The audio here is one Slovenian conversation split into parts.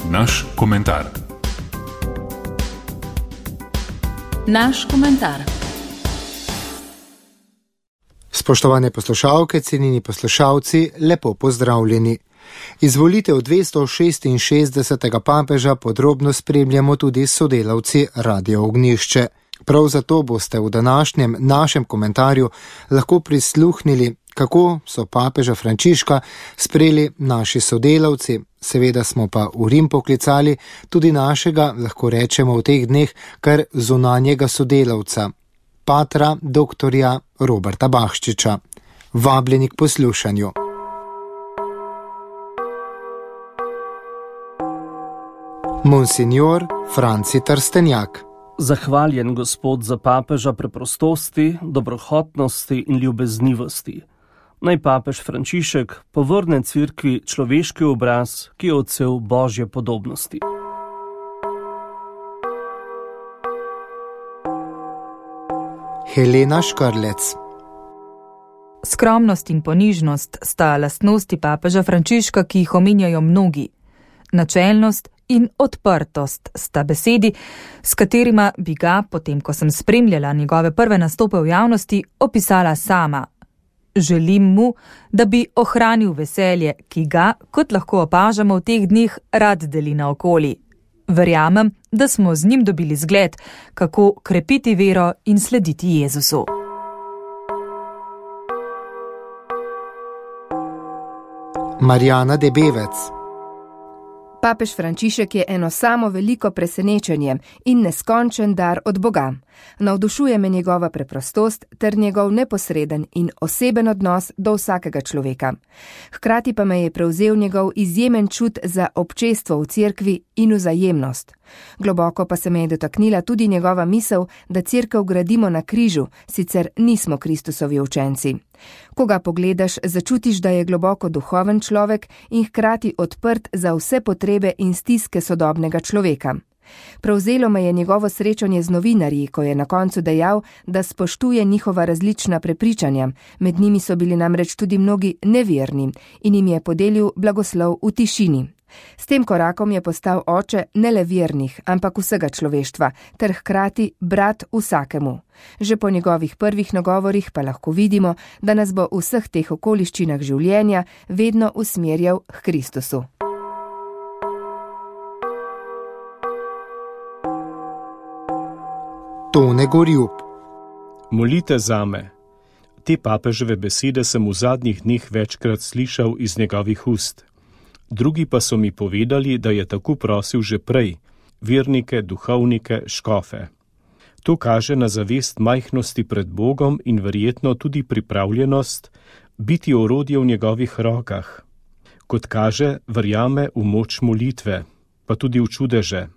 Naš komentar. Naš komentar. Spoštovane poslušalke, cenjeni poslušalci, lepo pozdravljeni. Izvolitev 266. papeža podrobno spremljamo tudi sodelavci Radio Ognjišče. Prav zato boste v današnjem našem komentarju lahko prisluhnili, kako so papeža Frančiška sprejeli naši sodelavci. Seveda smo pa v Rim poklicali tudi našega, lahko rečemo v teh dneh, kar zunanjega sodelavca, patra doktorja Roberta Bahščiča. Vabljeni k poslušanju. Monsignor Franci Trstenjak. Zahvaljen Gospod za papeža preprostosti, dobrohotnosti in ljubeznivosti. Naj papež Frančišek povrne cerkvi človeški obraz, ki je odsev Božje podobnosti. Helena Škrlec. Skromnost in ponižnost sta lastnosti papeža Frančiška, ki jih omenjajo mnogi. Načelnost in odprtost sta besedi, s katerima bi ga, potem ko sem spremljala njegove prve nastope v javnosti, opisala sama. Želim mu, da bi ohranil veselje, ki ga, kot lahko opažamo v teh dneh, rad deli naokoli. Verjamem, da smo z njim dobili zgled, kako krepiti vero in slediti Jezusu. Marjana Debevec. Papež Frančišek je eno samo veliko presenečenje in neskončen dar od Boga. Navdušuje me njegova preprostost ter njegov neposreden in oseben odnos do vsakega človeka. Hkrati pa me je prevzel njegov izjemen čut za občestvo v cerkvi in vzajemnost. Globoko pa se me je dotaknila tudi njegova misel, da cerkev gradimo na križu, sicer nismo Kristusovi učenci. Ko ga pogledaš, začutiš, da je globoko duhoven človek in hkrati odprt za vse potrebe in stiske sodobnega človeka. Prevzelo me je njegovo srečanje z novinarji, ko je na koncu dejal, da spoštuje njihova različna prepričanja, med njimi so bili namreč tudi mnogi neverni in jim je podelil blagoslov v tišini. S tem korakom je postal oče ne le vernih, ampak vsega človeštva, ter hkrati brat vsakemu. Že po njegovih prvih nagovorih pa lahko vidimo, da nas bo v vseh teh okoliščinah življenja vedno usmerjal k Kristusu. Tone Gorjub. Molite zame. Te papeževe besede sem v zadnjih dneh večkrat slišal iz njegovih ust. Drugi pa so mi povedali, da je tako prosil že prej, vernike, duhovnike, škofe. To kaže na zavest majhnosti pred Bogom in verjetno tudi pripravljenost biti orodje v njegovih rokah. Kot kaže, verjame v moč molitve, pa tudi v čudeže.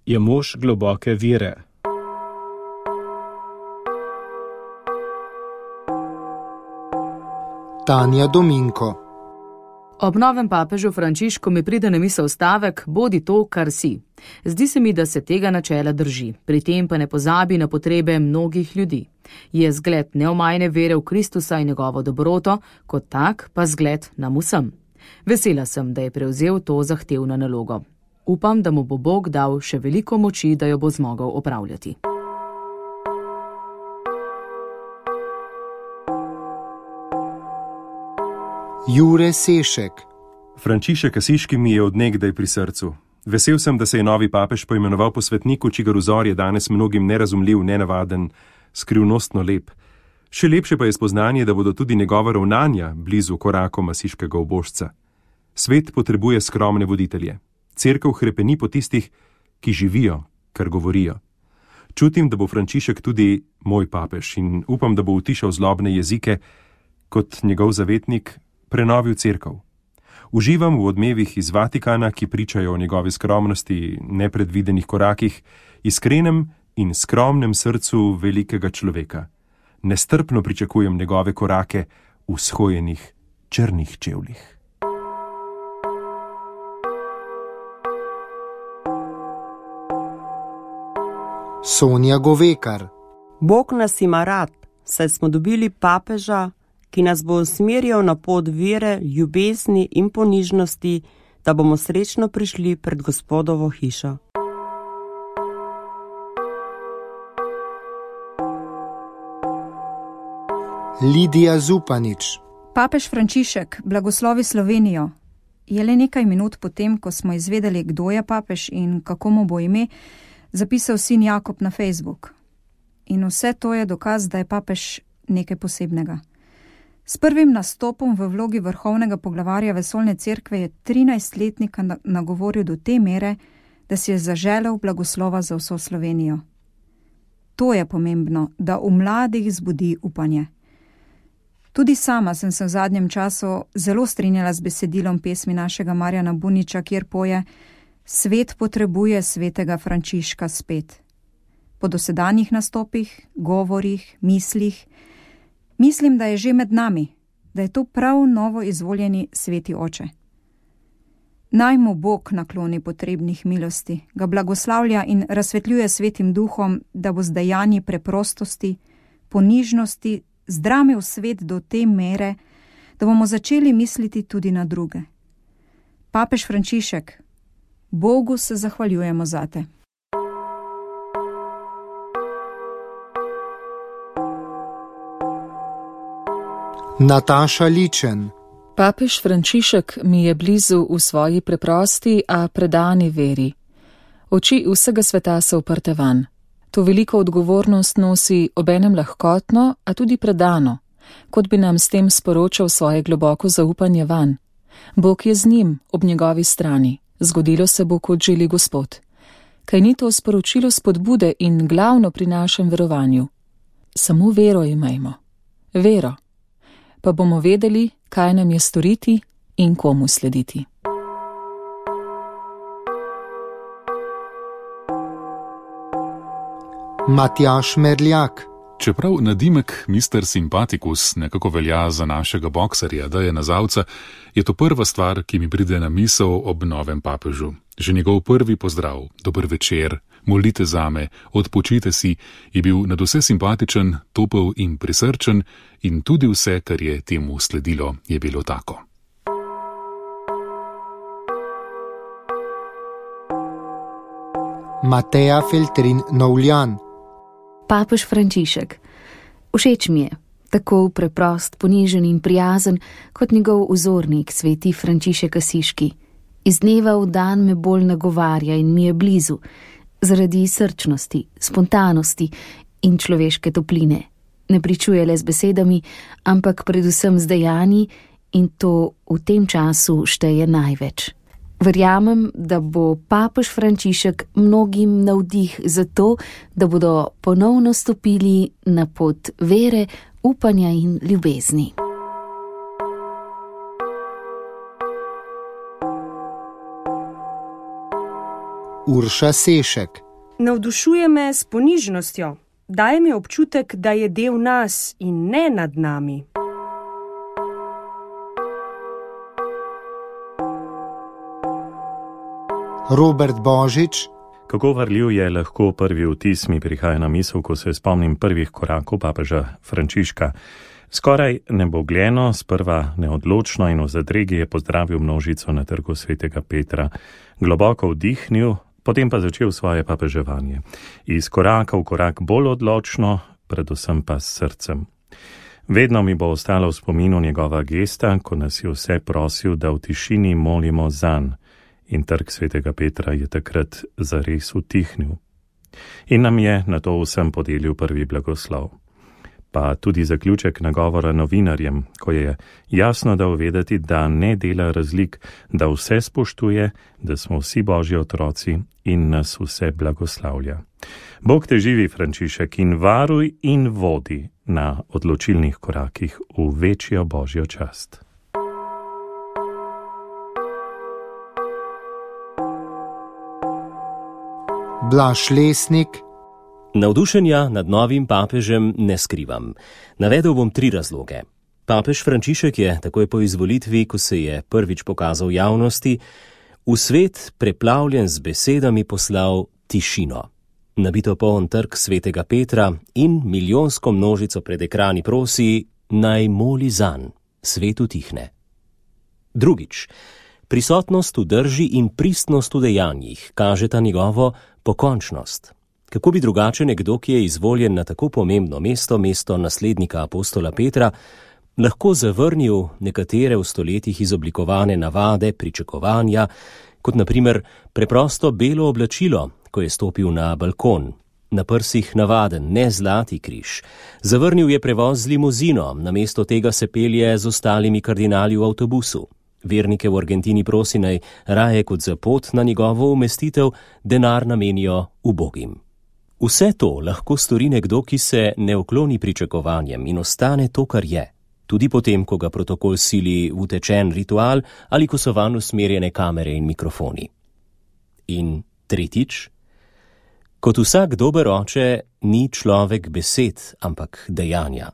Je mož globoke vere. Tanja Dominko. Ob novem papežu Frančišku mi pride na misel stavek: bodi to, kar si. Zdi se mi, da se tega načela drži, pri tem pa ne pozabi na potrebe mnogih ljudi. Je zgled neomajne vere v Kristusa in njegovo dobroto, kot tak pa zgled nam vsem. Vesela sem, da je prevzel to zahtevno nalogo. Upam, da mu bo Bog dal še veliko moči, da jo bo zmogel opravljati. Jure Sešek. Frančišek Asiški mi je od nekdaj pri srcu. Vesel sem, da se je novi papež poimenoval po svetniku, čigar vzor je danes mnogim nerazumljiv, nenavaden, skrivnostno lep. Še lepše pa je spoznanje, da bodo tudi njegova ravnanja blizu korakom asiškega ubožca. Svet potrebuje skromne voditelje. Cerkev hrepeni po tistih, ki živijo, kar govorijo. Čutim, da bo Frančišek tudi moj papež in upam, da bo utišal zlobne jezike, kot njegov zavetnik prenovil cerkev. Uživam v odmevih iz Vatikana, ki pričajo o njegovi skromnosti, nepredvidenih korakih, iskrenem in skromnem srcu velikega človeka. Nestrpno pričakujem njegove korake v shojenih črnih čevljih. Sonja Govekar. Bog nas ima rad, saj smo dobili papeža, ki nas bo usmerjal na pot vere, ljubezni in ponižnosti da bomo srečno prišli pred Gospodovo hišo. Lidija Zupanič. Papež Frančišek blagoslovi Slovenijo. Je le nekaj minut potem, ko smo izvedeli, kdo je papež in kako mu bo ime, zapisal sin Jakob na Facebook. In vse to je dokaz, da je papež nekaj posebnega. S prvim nastopom v vlogi vrhovnega poglavarja vesoljne cerkve je 13-letnika nagovoril do te mere, da si je zaželel blagoslova za vso Slovenijo. To je pomembno, da v mladih zbudi upanje. Tudi sama sem se v zadnjem času zelo strinjala z besedilom pesmi našega Marjana Buniča, kjer poje: Svet potrebuje svetega Frančiška spet. Po dosedanjih nastopih, govorih, mislih, mislim, da je že med nami, da je to prav novo izvoljeni sveti oče. Naj mu Bog nakloni potrebnih milosti, ga blagoslavlja in razsvetljuje svetim duhom, da bo z dejanji preprostosti, ponižnosti zdramil svet do te mere, da bomo začeli misliti tudi na druge. Papež Frančišek, Bogu se zahvaljujemo zate. Nataša Ličen. Papež Frančišek mi je blizu v svoji preprosti, a predani veri. Oči vsega sveta so uprte van. To veliko odgovornost nosi obenem lahkotno, a tudi predano, kot bi nam s tem sporočal svoje globoko zaupanje van. Bog je z njim, ob njegovi strani. Zgodilo se bo, kot želi Gospod. Kaj ni to sporočilo spodbude in glavno pri našem verovanju? Samo vero imejmo. Vero. Pa bomo vedeli, kaj nam je storiti in komu slediti. Matjaž Merljak. Čeprav nadimek Mr. Sympaticus nekako velja za našega boksarja, da je nazavca, je to prva stvar, ki mi pride na misel ob novem papežu. Že njegov prvi pozdrav, dober večer, molite zame, odpočite si, je bil nadvse simpatičen, topel in prisrčen in tudi vse, kar je temu sledilo, je bilo tako. Mateja Feltrin Novljan. Papež Frančišek. Všeč mi je, tako preprost, ponižen in prijazen, kot njegov vzornik, sveti Frančišek Asiški. Iz dneva v dan me bolj nagovarja in mi je blizu, zaradi srčnosti, spontanosti in človeške topline. Ne pričuje le z besedami, ampak predvsem z dejanji, in to v tem času šteje največ. Verjamem, da bo papež Frančišek mnogim navdih za to, da bodo ponovno stopili na pot vere, upanja in ljubezni. Urša Sešek. Navdušuje me s ponižnostjo. Daje mi občutek, da je del nas in ne nad nami. Robert Božič. Kako varljiv je lahko prvi vtis, mi prihaja na misel, ko se spomnim prvih korakov papeža Frančiška. Skoraj nebogljeno, sprva neodločno in v zadregi je pozdravil množico na trgu svetega Petra. Globoko vdihnil, potem pa začel svoje papeževanje. Iz koraka v korak bolj odločno, predvsem pa s srcem. Vedno mi bo ostalo v spominu njegova gesta, ko nas je vse prosil, da v tišini molimo zanj. In trg svetega Petra je takrat zares utihnil. In nam je na to vsem podelil prvi blagoslov. Pa tudi zaključek nagovora novinarjem, ko je jasno dal vedeti, da ne dela razlik, da vse spoštuje, da smo vsi Božji otroci in nas vse blagoslavlja. Bog te živi, Frančišek, in varuj in vodi na odločilnih korakih v večjo Božjo čast. Blaž Lesnik. Navdušenja nad novim papežem ne skrivam. Navedel bom 3 razloge. Papež Frančišek je takoj po izvolitvi, ko se je prvič pokazal javnosti, v svet preplavljen z besedami poslal tišino. Nabito poln trg svetega Petra in milijonsko množico pred ekrani prosi, naj moli zanj, svet utihne. Drugič, Prisotnost v drži in pristnost v dejanjih kažeta njegovo pokončnost. Kako bi drugače nekdo, ki je izvoljen na tako pomembno mesto naslednika apostola Petra, lahko zavrnil nekatere v stoletjih izoblikovane navade, pričakovanja, kot na primer preprosto belo oblačilo, ko je stopil na balkon, na prsih navaden, ne zlati križ. Zavrnil je prevoz z limuzino, namesto tega se pelje z ostalimi kardinali v avtobusu. Vernike v Argentini prosi naj raje kot za pot na njegovo umestitev denar namenijo ubogim. Vse to lahko stori nekdo, ki se ne ukloni pričakovanjem in ostane to, kar je, tudi potem, ko ga protokol sili v utečen ritual ali ko so vanj usmerjene kamere in mikrofoni. In tretjič, kot vsak dober oče, ni človek besed, ampak dejanja.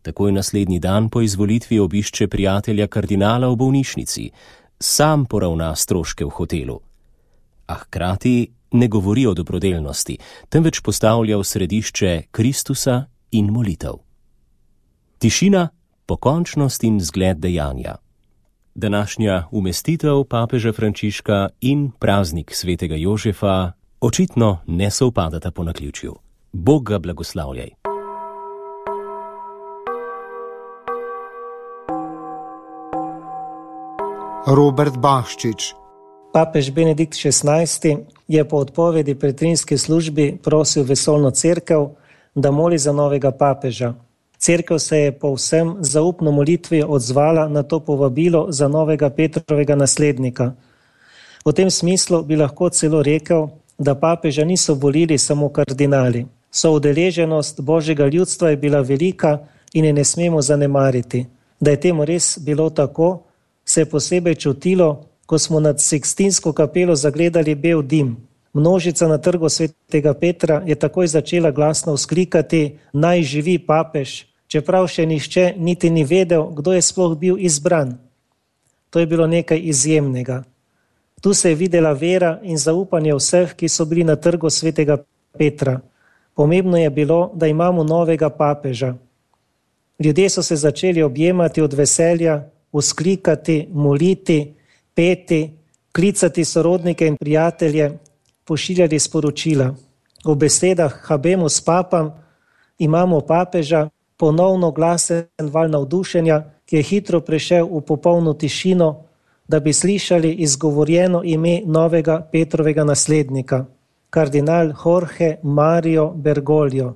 Takoj naslednji dan po izvolitvi obišče prijatelja kardinala v bolnišnici, sam poravna stroške v hotelu. A hkrati ne govori o dobrodelnosti, temveč postavlja v središče Kristusa in molitev. Tišina, pokončnost in zgled dejanja. Današnja umestitev papeža Frančiška in praznik svetega Jožefa očitno ne sovpadata po naključju. Bog ga blagoslavljaj. Robert Bahščič. Papež Benedikt XVI je po odpovedi pretrinski službi prosil vesoljno cerkev, da moli za novega papeža. Cerkev se je povsem zaupno molitvijo odzvala na to povabilo za novega Petrovega naslednika. V tem smislu bi lahko celo rekel, da papeža niso volili samo kardinali. Soudeleženost božjega ljudstva je bila velika in je ne smemo zanemariti. Da je temu res bilo tako, se je posebej čutilo, ko smo nad Sikstinsko kapelo zagledali bel dim. Množica na trgu svetega Petra je takoj začela glasno vzklikati: naj živi papež, čeprav še nihče niti ni vedel, kdo je sploh bil izbran. To je bilo nekaj izjemnega. Tu se je videla vera in zaupanje vseh, ki so bili na trgu svetega Petra. Pomembno je bilo, da imamo novega papeža. Ljudje so se začeli objemati od veselja, vzklikati, moliti, peti, klicati sorodnike in prijatelje, pošiljali sporočila. V besedah Habemus Papam imamo papeža, ponovno glasen val navdušenja, ki je hitro prešel v popolno tišino, da bi slišali izgovorjeno ime novega Petrovega naslednika, kardinal Jorge Mario Bergoglio.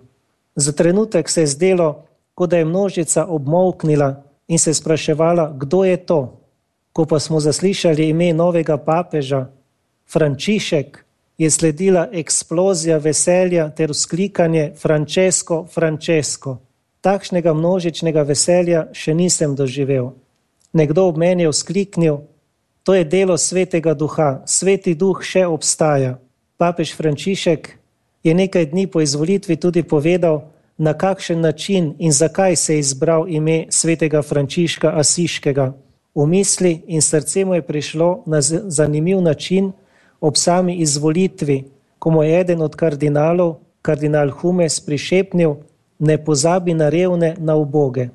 Za trenutek se je zdelo, kot da je množica obmolknila in se spraševala, kdo je to. Ko pa smo zaslišali ime novega papeža, Frančišek, je sledila eksplozija veselja ter vzklikanje Francesco, Francesco. Takšnega množičnega veselja še nisem doživel. Nekdo ob meni je vzkliknil: to je delo svetega duha, sveti duh še obstaja. Papež Frančišek je nekaj dni po izvolitvi tudi povedal, na kakšen način in zakaj se je izbral ime svetega Frančiška Asiškega. V misli in srce mu je prišlo na zanimiv način ob sami izvolitvi, ko mu je eden od kardinalov, kardinal Humes, prišepnil: ne pozabi na revne, na uboge.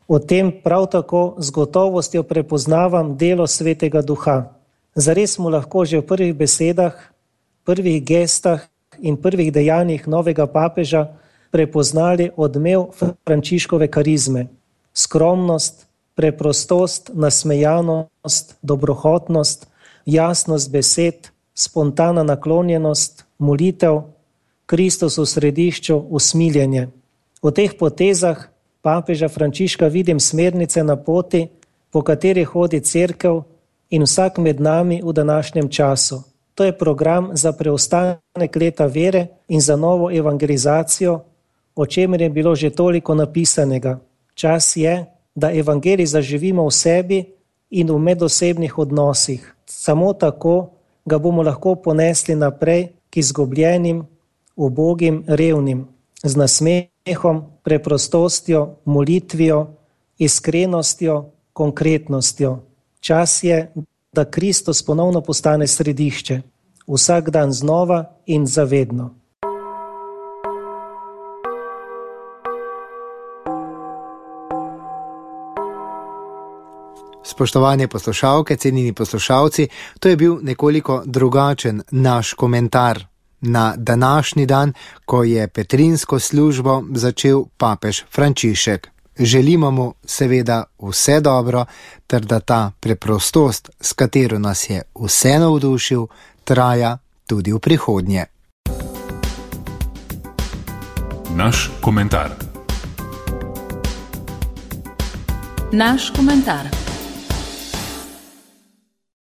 O tem prav tako z gotovostjo prepoznavam delo svetega duha. Zares mu lahko že v prvih besedah, prvih gestah in prvih dejanjih novega papeža prepoznali odmev Frančiškove karizme. Skromnost, preprostost, nasmejanost, dobrohotnost, jasnost besed, spontana naklonjenost, molitev, Kristus v središču, usmiljenje. V teh potezah papeža Frančiška vidim smernice na poti, po kateri hodi cerkev in vsak med nami v današnjem času. To je program za preostanek leta vere in za novo evangelizacijo, o čemer je bilo že toliko napisanega. Čas je, da evangelij zaživimo v sebi in v medosebnih odnosih. Samo tako ga bomo lahko ponesli naprej k izgubljenim, ubogim, revnim, z nasmehom, preprostostjo, molitvijo, iskrenostjo, konkretnostjo. Čas je, da Kristus ponovno postane središče, vsak dan znova in zavedno. Spoštovane poslušalke, cenjeni poslušalci, to je bil nekoliko drugačen naš komentar na današnji dan, ko je petrinsko službo začel papež Frančišek. Želimo mu seveda vse dobro, ter da ta preprostost, s katero nas je vse navdušil, traja tudi v prihodnje. Naš komentar. Naš komentar.